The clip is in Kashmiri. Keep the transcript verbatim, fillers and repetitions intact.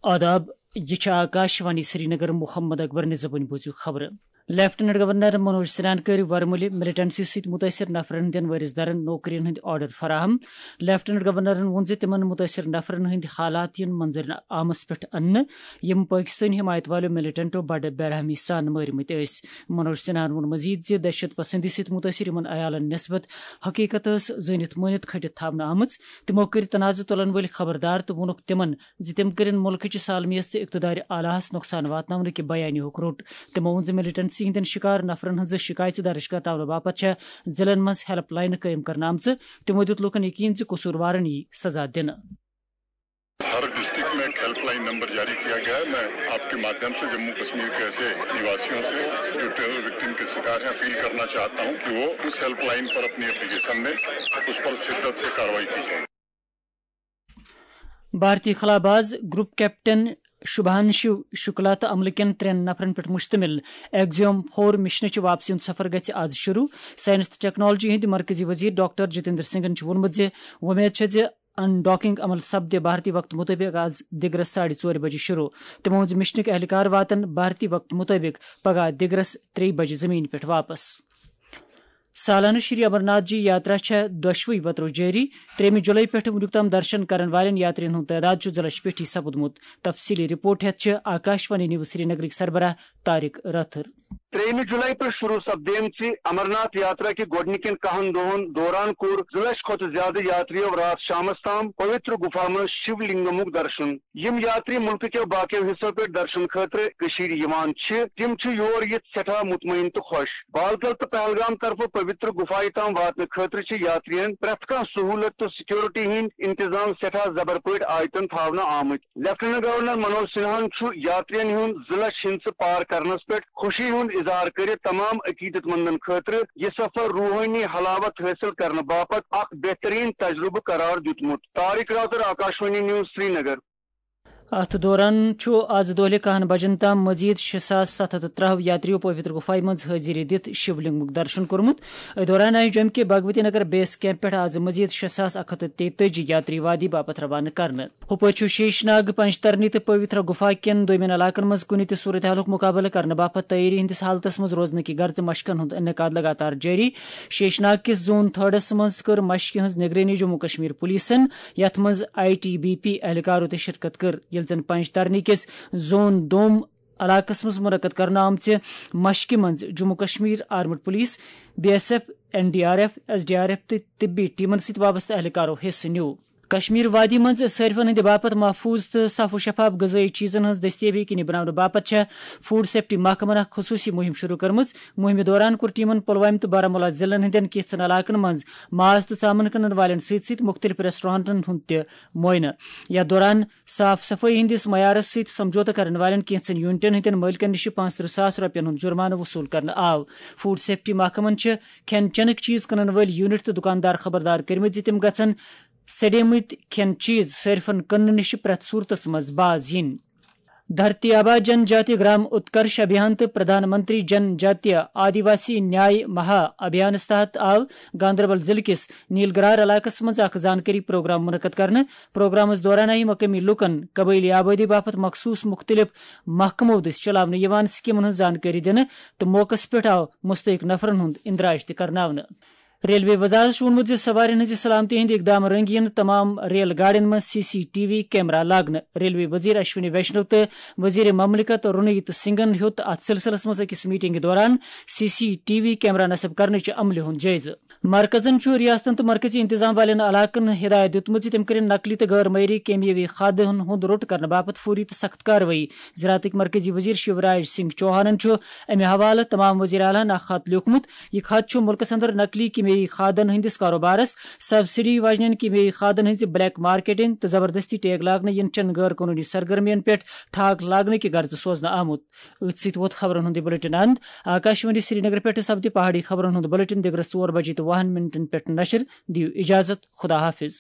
آداب، یہِ چھِ آکاش وانی سرینگر۔ محمد اکبر نِظامٕنۍ بوٗزِو خبرٕ۔ لیفٹیننٹ گورنر منوج سنہاہن کٔرۍ ورمُلہِ ملیٹنسی سۭتۍ مُتٲثِر نفرن ہٕنٛدٮ۪ن وٲرِث دارن نوکرین ہٕنٛدۍ آرڈر فراہم۔ لیفٹیننٹ گورنرن ووٚن زِ تِمن مُتٲثِر نفرن ہٕنٛدۍ حالات یِن منظرِ عامس پٮ۪ٹھ اننہٕ، یِم پٲکِستٲنۍ حمایت والٮ۪و ملیٹنٹو بڑٕ بے رحمی سان مٲرمٕتۍ ٲسۍ۔ منوج سنہاہن ووٚن مزید زِ دہشت پسندی سۭتۍ مُتٲثِر یِمن عیالن نسبت حقیقت ٲس زٲنِتھ مٲنِتھ کھٔٹِتھ تھاونہٕ آمٕژ۔ تِمو کٔرۍ تنازٕ تُلن وٲلۍ خبردار تہٕ ووٚنُکھ تِمن زِ تِم کٔرِن مُلکٕچہِ سالمیت تہٕ اقتدارِ اعلیٰ ہس نۄقصان واتناونہٕ کہِ بیانیہُک روٚٹ۔ تِمو ووٚن زِ ملیٹنسی ہٕنٛدٮ۪ن شِکار نفرن ہٕنٛزٕ شِکایژٕ درٕج کرناونہٕ باپتھ چھےٚ ضلعن منٛز ہیلپ لاینہٕ قٲیِم کرنہٕ آمژٕ۔ تِمو دیُت لوٗکن یقین زِ قصوٗروارن یِیہِ سزا دِنہٕ۔ ہر ڈسٹرکٹ میں ایک ہیلپ لائن نمبر جاری کیا گیا ہے۔ میں آپ کے مادھیم سے جموں کشمیر کے ایسے نواسیوں سے جو ٹیرر وکٹم کے شکار ہیں، اپیل کرنا چاہتا ہوں کہ وہ اس ہیلپ لائن پر اپنی اپلیکیشن میں اس پر شدت سے کارروائی کی جائے۔ بھارتی خلا باز گروپ کیپٹن شبھانشو شکلا تہٕ عملہٕ کٮ۪ن ترٛٮ۪ن نفرن پٮ۪ٹھ مشتمل ایگزیوم فور مشنٕچ واپسی ہُنٛد سفر گژھِ آز شروع۔ سائنس تہٕ ٹیکنالوجی ہٕنٛدۍ مرکزی وزیر ڈاکٹر جتیندر سنگھن چھُ ووٚنمُت زِ وۄمید چھےٚ زِ ان ڈاکنگ عمل سپدِ بھارتی وقتہٕ مُطٲبِق آز دِگرس ساڑِ ژورِ بجہِ شروع۔ تِمو ووٚن زِ مشنٕکۍ اہلکار واتن بھارتی وقتہٕ مُطٲبِق پگہہ دِگرس ترٛیٚیہِ بجہِ زمین پٮ۪ٹھ واپس۔ سالانہٕ شری امرناتھ جی یاترا چھےٚ دۄشوٕے وترو جٲری۔ ترٛیٚیِمہِ جُلای پٮ۪ٹھٕ وُنیُک تام درشن کرن والٮ۪ن یاترین ہُنٛد تعداد چھُ زٕ لچھ پیٚٹھی سپُدمُت۔ تفصیلی رپورٹ ہٮ۪تھ چھِ آکاشوانی نیوز سرینگرٕکۍ سربراہ طارق رٲتھر۔ ترٛیٚیِمہِ جُلای پٮ۪ٹھ شروع سپدیمژِ امرناتھ یاترا کہِ گۄڈٕنِکٮ۪ن کاہن دۄہن دوران کوٚر زٕ لچھ کھۄتہٕ زیادٕ یاترِیو راتھ شامس تام پویتر گُفا منٛز شِو لنگمُک درشن۔ یِم یاتری مُلکہٕ کٮ۪و باقیو حصو پٮ۪ٹھ درشن خٲطرٕ کٔشیٖرِ یِوان چھِ، تِم چھِ یور یِتھ سٮ۪ٹھاہ مطمئن تہٕ خۄش۔ بالتل تہٕ پہلگام طرفہٕ پویتر گُفایہِ تام واتنہٕ خٲطرٕ چھِ یاترین پرٛٮ۪تھ کانٛہہ سہوٗلت تہٕ سیکورٹی ہٕنٛدۍ انتظام سٮ۪ٹھاہ زبر پٲٹھۍ آیتن تھاونہٕ آمٕتۍ۔ لیفٹیننٹ گورنر منوج سنہاہن چھُ یاترین ہُنٛد زٕ لچھ ہندسہٕ پار کرنس پٮ۪ٹھ خوشی ہُنٛد اظہار کٔرِتھ تمام عقیدت مندن خٲطرٕ یہِ سفر روحٲنی حلاوت حٲصِل کرنہٕ باپتھ اکھ بہترین تجربہٕ قرار دیُتمُت۔ طارق راتر، آکاشوانی نیوز، سرینگر۔ اتھ دوران چھُ آز دۄہلہِ کاہن بجن تام مزید شےٚ ساس ستھ ہتھ تہٕ ترٛہو یاتریو پویتر گُفایہِ منٛز حٲضری دِتھ شِو لنگمُک درشن کوٚرمُت۔ أتھۍ دوران آیہِ جوٚمہِ کہِ بھگوتی نگر بیس کیمپ پٮ۪ٹھ آز مزید شےٚ ساس اکھ ہتھ تہٕ تیتٲجی یاتری وادی باپتھ روانہٕ کرنہٕ۔ ہُپٲرۍ چھُ شیش ناگ، پنجترنی تہٕ پویترا گُفا کٮ۪ن دویمٮ۪ن علاقن منٛز کُنہِ تہِ صورتحالُک مُقابلہٕ کرنہٕ باپتھ تیٲری ہٕنٛدِس حالتس منٛز روزنہٕ کہِ غرضہٕ مشقن ہُنٛد انعقاد لگاتار جٲری۔ شیش ناگ کِس زون تھرڈس منٛز کٔر مشقہِ ہٕنٛز نگرٲنی جموں کشمیر پولیسن، یتھ منٛز آئی ٹی بی پی اہلکارو تہِ شرکت کٔر، ییٚلہِ زن پنجترنی کِس زون دوم علاقس منٛز منعقد کرنہٕ آمژِ مشقہِ منٛز Jammu Kashmir armed police, B S F, N D R F, S D R F تہٕ طبی ٹیمن سۭتۍ وابستہٕ اہلکارو حصہٕ نیوٗ۔ کشمیر وادی منٛز صٲرفن ہٕنٛدِ باپتھ محفوظ تہٕ صاف و شفاف غذٲیی چیزن ہٕنٛز دٔستیٲبی یقینی بناونہٕ باپتھ چھےٚ فوڈ سیفٹی محکمن اکھ خصوٗصی مُہِم شروٗع کٔرمٕژ۔ مُہِمہِ دوران کوٚر ٹیمن پلوامہِ تہٕ بارہمولہ ضلعن ہٕنٛدٮ۪ن کینٛژن علاقن منٛز ماز تہٕ ژامن کٕنن والٮ۪ن سۭتۍ سۭتۍ مُختٔلِف ریسٹورنٹن ہُنٛد تہِ معائنہٕ۔ یَتھ دوران صاف صفٲیی ہٕنٛدِس معیارس سۭتۍ سمجھوتہٕ کرن والٮ۪ن کینٛژن یونٹن ہٕنٛدٮ۪ن مٲلکن نِش پانٛژترٕٛہ ساس رۄپین ہُنٛد جُرمانہٕ وصوٗل کرنہٕ آو۔ فوڈ سیفٹی محکمن چھِ کھٮ۪ن چٮ۪نٕکۍ چیٖز کٕنن وٲلۍ یونٹ تہٕ دُکاندار خبردار کٔرمٕتۍ زِ تِم گژھن سڑیمٕتۍ کھٮ۪ن چیٖز صٲرفن کٕننہٕ نِش پرٛٮ۪تھ صوٗرتس منٛز باز یِنۍ۔ دھرتی آبا جن جاتی گرام اتکرش ابھیان تہٕ پردھان منتری جن جاتی آدیواسی نیاے مہا ابھیانس تحت آو گاندربل ضلعہٕ کِس نیلگرار علاقس منٛز اکھ زانکٲری پروگرام منعقد کرنہٕ۔ پروگرامس دوران آیہِ مقٲمی لوٗکن قبٲئلی آبٲدی باپتھ مخصوٗص مُختٔلِف محکمو دٔسۍ چلاونہٕ یِوان سکیمن ہٕنٛز زانکٲری دِنہٕ تہٕ موقعس پٮ۪ٹھ آو مستحق نفرن ہُنٛد اندراج تہِ کرناونہٕ۔ ریلوے وزارت چھُ ووٚنمُت زِ سوارٮ۪ن ہٕنٛزِ سلامتی ہٕنٛدۍ اقدام رنگی یِن تمام ریل گاڑٮ۪ن منٛز C C T V camera لاگنہٕ۔ ریلوے وزیر اشونی ویشنو تہٕ وزیر مملکت رونیت سنگھن ہیوٚت اتھ سلسلس منٛز أکِس میٹنگہِ دوران C C T V camera نصب کرنٕچہِ عملہِ ہُنٛد جٲیزٕ۔ مرکزن چھُ ریاستن تہٕ مرکزی انتظام والٮ۪ن علاقن ہدایت دِیُتمُت زِ تِم کٔرِن نقلی تہٕ غٲر معیٲری کیمیٲوی کھادن ہُنٛد روٚٹ کرنہٕ باپتھ فوری تہٕ سخت کاروٲیی۔ زراعتٕکۍ مرکزی وزیر شیوراج سنگھ چوہانن چھُ امہِ حوالہٕ تمام وزیر اعلیٰ ہن اکھ خط لیوٗکھمُت۔ یہِ خط چھُ مُلکس اندر نقلی کیمیٲوی کھادن ہٕنٛدِس کاروبارس، سبسڈی واجنٮ۪ن کیمیٲوی کھادن ہٕنٛزِ بلیک مارکیٹنگ تہٕ زبردستی ٹیگ لاگنہٕ یِنہٕ چٮ۪ن غٲر قونوٗنی سرگرمین پٮ۪ٹھ ٹھاک لاگنہٕ کہِ غرضہٕ سوزنہٕ آمُت۔ أتھۍ سۭتۍ ووت خبرن ہُنٛد یہِ بلیٹن اند۔ آکاشوانی سرینگر پٮ۪ٹھ سپدِ پہاڑی خبرن ہُنٛد بلیٹن دِگرس ژور بجے تہٕ وُہن منٹن پٮ۪ٹھ نشر۔ دِیِو اجازت، خدا حافظ۔